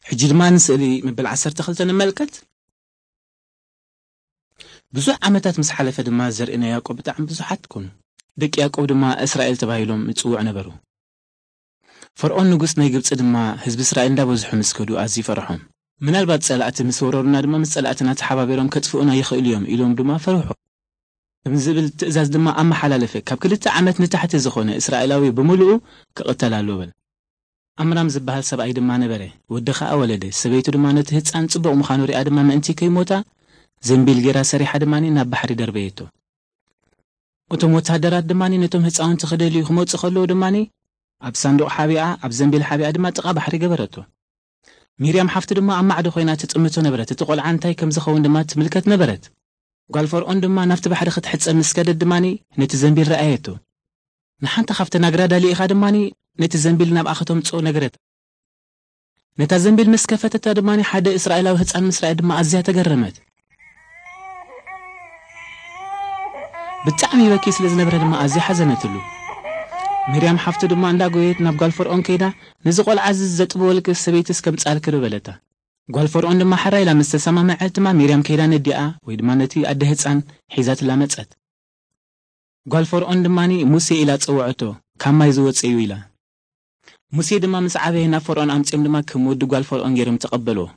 ሕጂ ድማ ንስእሊ መበል ዓሰርተ ክልተ ንመልከት። ብዙሕ ዓመታት ምስ ሓለፈ ድማ ዘርኢ ናይ ያዕቆብ ብጣዕሚ ብዙሓት ኮኑ። ደቂ ያዕቆብ ድማ እስራኤል ተባሂሎም ይጽውዑ ነበሩ። ፈርዖን ንጉስ ናይ ግብጺ ድማ ህዝቢ እስራኤል እንዳበዝሑ ምስ ከዱ ኣዝዩ ፈርሖም። ምናልባት ጸላእቲ ምስ ወረሩና ድማ ምስ ጸላእትና ተሓባቢሮም ከጥፍኡና ይኽእሉ እዮም ኢሎም ድማ ፈርሑ። ከም ዝብል ትእዛዝ ድማ ኣመሓላለፈ። ካብ ክልተ ዓመት ንታሕቲ ዝኾነ እስራኤላዊ ብምሉኡ ክቕተል ኣለዎ በለ። ኣምራም ዝበሃል ሰብኣይ ድማ ነበረ። ወዲ ኸኣ ወለደ። ሰበይቱ ድማ ነቲ ህጻን ጽቡቕ ምዃኑ ሪኣ ድማ ምእንቲ ከይሞታ ዘንቢል ጌራ ሰሪሓ ድማ ናብ ባሕሪ ደርበየቶ። እቶም ወታደራት ድማ ነቶም ህጻውንቲ ክደልዩ ክመጹ ከለዉ ድማ ኣብ ሳንዱቕ ሓቢኣ ኣብ ዘንቢል ሓቢኣ ድማ ጥቓ ባሕሪ ገበረቶ። ሚርያም ሓፍቱ ድማ ኣብ ማዕዶ ኮይና ትጥምቶ ነበረት። እቲ ቆልዓ እንታይ ከም ዝኸውን ድማ ትምልከት ነበረት። ጓል ፈርዖን ድማ ናብቲ ባሕሪ ክትሕጸብ ምስ ከደት ድማ ነቲ ዘንቢል ረኣየቶ። ንሓንቲ ካብተን ኣግራዳ ልኢኻ ድማ ነቲ ዘንቢል ናብኣ ከተምጽኦ ነገረታ። ነታ ዘንቢል ምስ ከፈተታ ድማ ሓደ እስራኤላዊ ህጻን ምስ ረኣየት ድማ ኣዝያ ተገረመት። ብጣዕሚ በኪ ስለ ዝነበረ ድማ ኣዝያ ሓዘነትሉ። ሚርያም ሓፍቱ ድማ እንዳጎየት ናብ ጓል ፈርዖን ከይዳ፣ "ነዚ ቆልዓ እዚ ዘጥበወልኪ ሰበይትስ ከምጽኣልኪ ዶ?" በለታ። ጓል ፈርዖን ድማ ሕራይ ኢላ ምስ ተሰማምዐት ድማ ሚርያም ከይዳ ነዲኣ ወይ ድማ ነቲ ኣደ ህጻን ሒዛትላ መጸት። ጓል ፈርዖን ድማ ሙሴ ኢላ ጸውዐቶ፣ "ካብ ማይ ዝወጸ እዩ" ኢላ። ሙሴ ድማ ምስ ዓበየ ናብ ፈርዖን ኣምጺኦም ድማ ከም ወዲ ጓል ፈርዖን ገይሮም ተቐበልዎ።